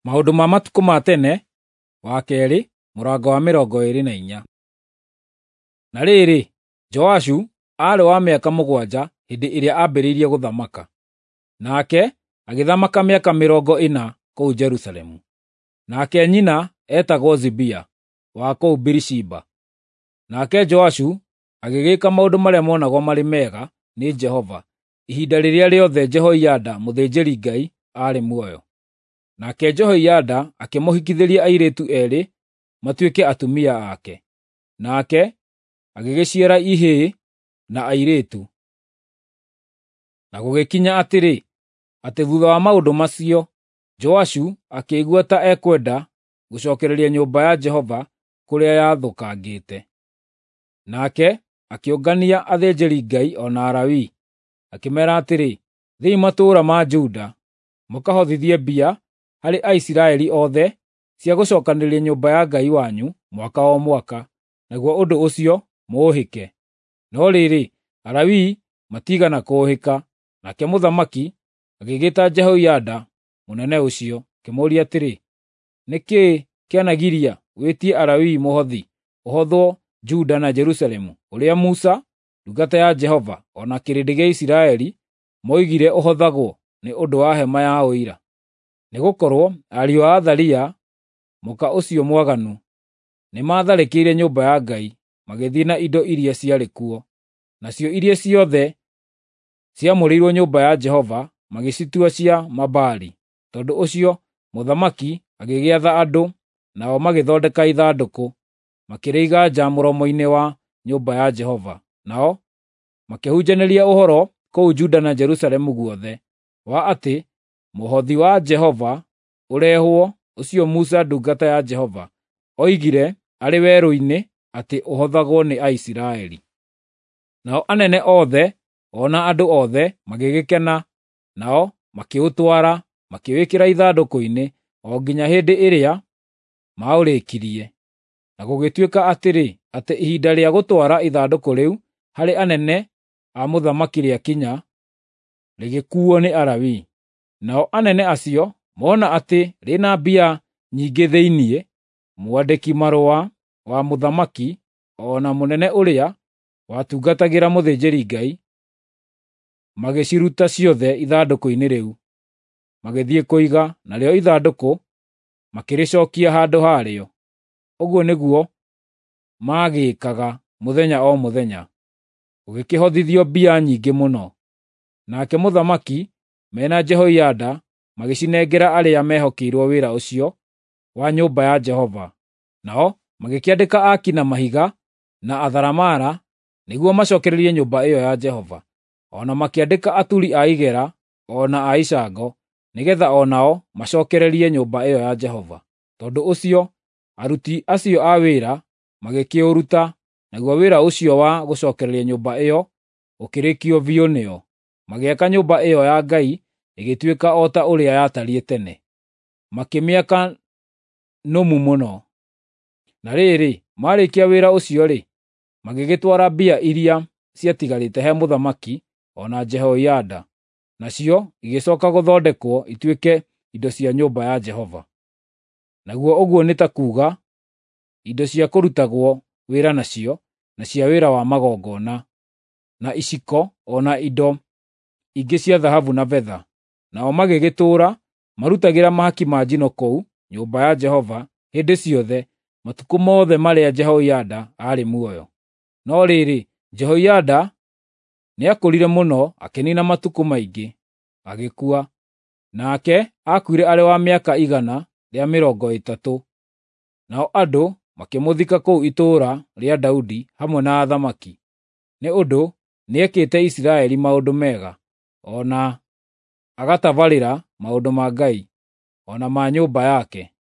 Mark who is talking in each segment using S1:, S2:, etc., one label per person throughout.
S1: Maũndũ ma matukũ ma tene, wa kerĩ, mũrango wa 24. Na rĩrĩ, Joashu aarĩ wa mĩaka 7 hĩndĩ ĩrĩa aambĩrĩirie gũthamaka, nake agĩthamaka mĩaka 40 kũu Jerusalemu. Nake nyina eetagwo Zibia wa kũu Birishiba. Nake Joashu agĩgĩka maũndũ marĩa monagwo marĩ mega nĩ Jehova ihinda rĩrĩa rĩothe Jehoiada mũthĩnjĩri-Ngai aarĩ muoyo. Nake Jehoiada akĩmũhikithĩria airĩtu eerĩ matuĩke atumia ake, nake agĩgĩciara ihĩĩ na airĩtu. Na gũgĩkinya atĩrĩ, atĩ thuutha wa maũndũ macio, Joashu akĩigua ta ekwenda gũcookereria nyũmba ya Jehova kũrĩa yathũkangĩte. Nake akĩũngania athĩnjĩri-Ngai o na Alawii, akĩmeera atĩrĩ, “Thiĩi matũũra ma Juda, mũkahothithie mbia harĩ Aisiraeli othe cia gũcookanĩrĩria nyũmba ya Ngai wanyu mwaka o mwaka, naguo ũndũ ũcio mũũhĩke.” No rĩrĩ, Alawii matiigana kũũhĩka. Nake mũthamaki agĩgĩĩta Jehoiada mũnene ũcio, akĩmũũria atĩrĩ, “Nĩ kĩĩ kĩanagiria wĩtie Alawii mũhothi ũhothwo Juda na Jerusalemu, ũrĩa Musa, ndungata ya Jehova, o na kĩrĩndĩ gĩa Isiraeli moigire ũhothagwo nĩ ũndũ wa hema ya Ũira?” Nĩgũkorwo ariũ a Athalia, mũka ũcio mwaganu, nĩmatharĩkĩire nyũmba ya Ngai, magĩthiĩ na indo iria ciarĩ kuo, nacio iria ciothe ciamũrĩirwo nyũmba ya Jehova magĩcitua cia Mabaali. Tondũ ũcio mũthamaki agĩgĩatha andũ, nao magĩthondeka ithandũkũ, makĩrĩiga nja mũromo-inĩ wa nyũmba ya Jehova. Nao makĩhunjanĩria ũhoro kũu Juda na Jerusalemu guothe, wa atĩ mũhothi wa Jehova ũrehwo, ũcio Musa ndungata ya Jehova oigire arĩ werũ-inĩ atĩ ũhothagwo nĩ Aisiraeli. Nao anene othe o na andũ othe magĩgĩkena, nao makĩũtwara, makĩwĩkĩra ithandũkũ-inĩ o nginya hĩndĩ ĩrĩa maũrĩkirie. Na gũgĩtuĩka atĩrĩ, atĩ ihinda rĩa gũtwara ithandũkũ rĩu harĩ anene a mũthamaki rĩakinya, rĩgĩkuuo nĩ Alawii. Nao anene acio mona atĩ rĩna mbia nyingĩ thĩinĩ, mwandĩki-marũa wa mũthamaki o na mũnene ũrĩa watungatagĩra mũthĩnjĩri-Ngai magĩciruta ciothe ithandũkũ-inĩ rĩu, magĩthiĩ kũiga, narĩo ithandũkũ makĩrĩcookia handũ harĩo. Ũguo nĩguo maagĩĩkaga mũthenya o mũthenya. Gũgĩkĩhothithio mbia nyingĩ mũno. Nake mũthamaki mena Jehoiada magĩcinengera arĩa mehokeirwo wĩra ũcio wa nyũmba ya Jehova. Nao magĩkĩandĩka aaki na mahiga na atharamara nĩguo macookererie nyũmba ĩyo ya Jehova. O na makĩandĩka aturi a igera o na a icango, nĩgeetha o nao macookererie nyũmba ĩyo ya Jehova. Tondũ ũcio aruti acio a wĩra magĩkĩũruta, naguo wĩra ũcio wa gũcookereria nyũmba ĩyo ũkĩrĩkio biũ nĩo. Magĩaka nyũmba ĩyo ya Ngai ĩgĩtuĩka o ta ũrĩa yatariĩ tene, makĩmĩaka nũmu mũno. Na rĩrĩ, maarĩkia wĩra ũcio-rĩ, magĩgĩtwara mbia iria ciatigarĩte he mũthamaki o na Jehoiada, nacio igĩcooka gũthondekwo ituĩke indo cia nyũmba ya Jehova. Naguo ũguo nĩ ta kuuga indo cia kũrutagwo wĩra nacio, na cia wĩra wa magongona, na iciko o na indo ingĩ cia thahabu na betha. Nao magĩgĩtũũra marutagĩra mahaki ma njino kũu nyũmba ya Jehova hĩndĩ ciothe matukũ mothe marĩa Jehoiada aarĩ muoyo. No rĩrĩ, Jehoiada nĩakũrire mũno akĩniina matukũ maingĩ, agĩkua. Nake aakuire arĩ wa mĩaka 130. Nao andũ makĩmũthika kũu itũũra rĩa Daudi hamwe na athamaki, nĩ ũndũ nĩekĩte Isiraeli maũndũ mega, o na agatabarĩra maũndũ ma Ngai, o na ma nyũmba yake.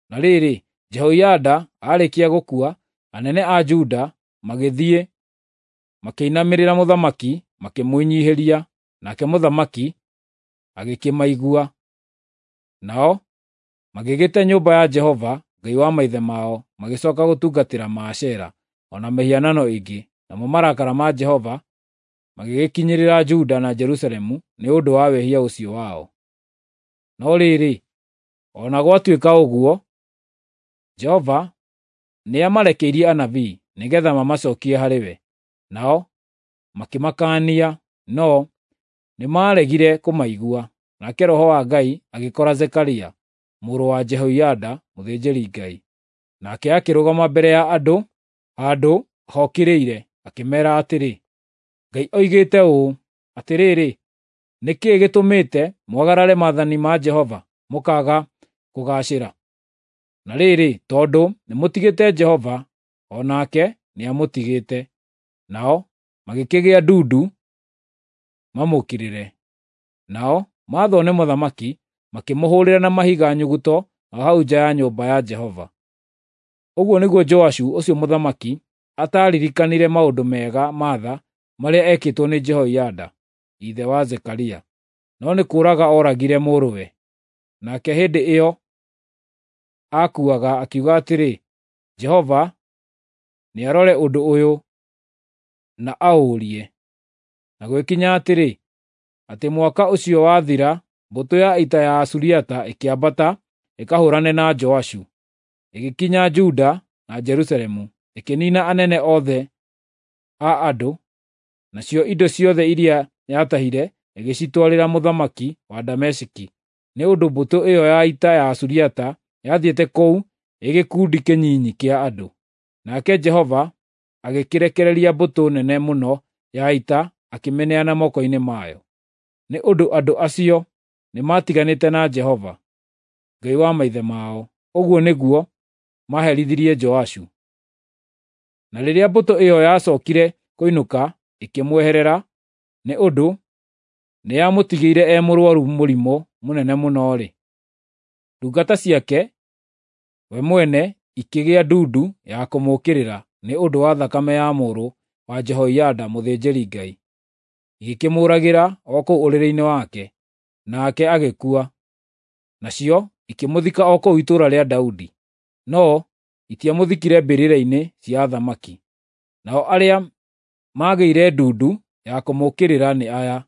S1: Na rĩrĩ, Jehoiada aarĩkia gũkua, anene a Juda magĩthiĩ makĩinamĩrĩra mũthamaki makĩmwĩnyiihĩria, nake mũthamaki agĩkĩmaigua. Nao magĩgĩte nyũmba ya Jehova, Ngai wa maithe mao, magĩcooka gũtungatĩra Maashera o na mĩhianano ĩngĩ, namo marakara ma Jehova magĩgĩkinyĩrĩra Juda na Jerusalemu nĩ ũndũ wa wĩhia ũcio wao. No rĩrĩ, O na gwatuĩka ũguo, Jehova nĩamarekeirie anabii nĩgeetha mamacookie harĩ we, nao makĩmakaania, no nĩmaregire kũmaigua. Nake Roho wa Ngai agĩkora Zekaria mũrũ wa Jehoiada mũthĩnjĩri-Ngai. Nake akĩrũgama mbere ya andũ handũ hokĩrĩire, akĩmeera atĩrĩ, “Ngai oigĩte ũũ: Atĩrĩrĩ, nĩ kĩĩ gĩtũmĩte mwagarare maathani ma Jehova mũkaaga kũgaacĩra? Na rĩrĩ, tondũ nĩmũtigĩte Jehova, o nake nĩamũtigĩte.” Nao magĩkĩgĩa ndundu mamũũkĩrĩre. Nao maathwo nĩ mũthamaki, makĩmũhũũrĩra na mahiga nyuguto o hau nja ya nyũmba ya Jehova. Ũguo nĩguo Joashu ũcio mũthamaki ataaririkanire maũndũ mega ma tha marĩa ekĩtwo nĩ Jehoiada, ithe wa Zekaria, no nĩ kũũraga ooragire mũrũwe. Nake hĩndĩ ĩyo aakuaga akiuga atĩrĩ, “Jehova nĩarore ũndũ ũyũ na aũũrie.” Na gũgĩkinya atĩrĩ, atĩ mwaka ũcio wathira, mbũtũ ya ita ya Asuriata ĩkĩambata ĩkahũũrane na Joashu. Ĩgĩkinya Juda na Jerusalemu, ĩkĩniina anene othe a andũ, nacio indo ciothe iria yatahire ĩgĩcitwarĩra mũthamaki wa Dameski, nĩ ũndũ mbũtũ ĩyo ya ita ya Asuriata yathiĩte kũu ĩ gĩkundi kĩnyinyi kĩa andũ. Nake Jehova agĩkĩrekereria mbũtũ nene mũno ya ita akĩmĩneana moko-inĩ mayo. Nĩ ũndũ andũ acio nĩmatiganĩte na Jehova, Ngai wa maithe mao. Ũguo nĩguo maaherithirie Joashu. Na rĩrĩa mbũtũ ĩyo yacookire kũinũka ĩkĩmweherera, nĩ ũndũ nĩyamũtigire e mũrũaru mũrimũ mũnene mũno-rĩ, ndungata ciake we mwene ikĩgĩa ndundu ya kũmũũkĩrĩra nĩ ũndũ wa thakame ya mũrũ wa Jehoiada mũthĩnjĩri-Ngai. Igĩkĩmũũragĩra o kũu ũrĩrĩ-inĩ wake, nake agĩkua. Nacio ikĩmũthika o kũu itũũra rĩa Daudi, no itiamũthikire mbĩrĩra-inĩ cia athamaki. Nao arĩa maagĩire ndundu ya kũmũũkĩrĩra nĩ aya: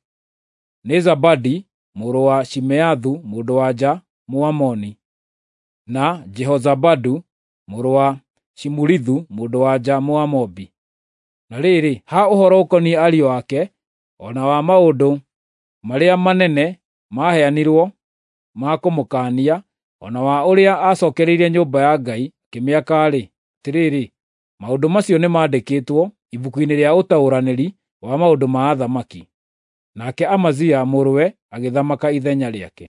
S1: nĩ Zabadi mũrũ wa Shimeathu mũndũ-wa-nja Mũamoni, na Jehozabadu mũrũ wa Shimurithu mũndũ-wa-nja Mũmoabi. Na rĩrĩ, ha ũhoro ũkoniĩ ariũ ake, o na wa maũndũ marĩa manene maaheanirwo ma kũmũkaania, o na wa ũrĩa aacookereirie nyũmba ya Ngai akĩmĩaka-rĩ, atĩrĩrĩ, maũndũ macio nĩmandĩkĩtwo ibuku-inĩ rĩa ũtaũranĩri wa maũndũ ma athamaki. Nake Amazia mũrũwe agĩthamaka ithenya rĩake.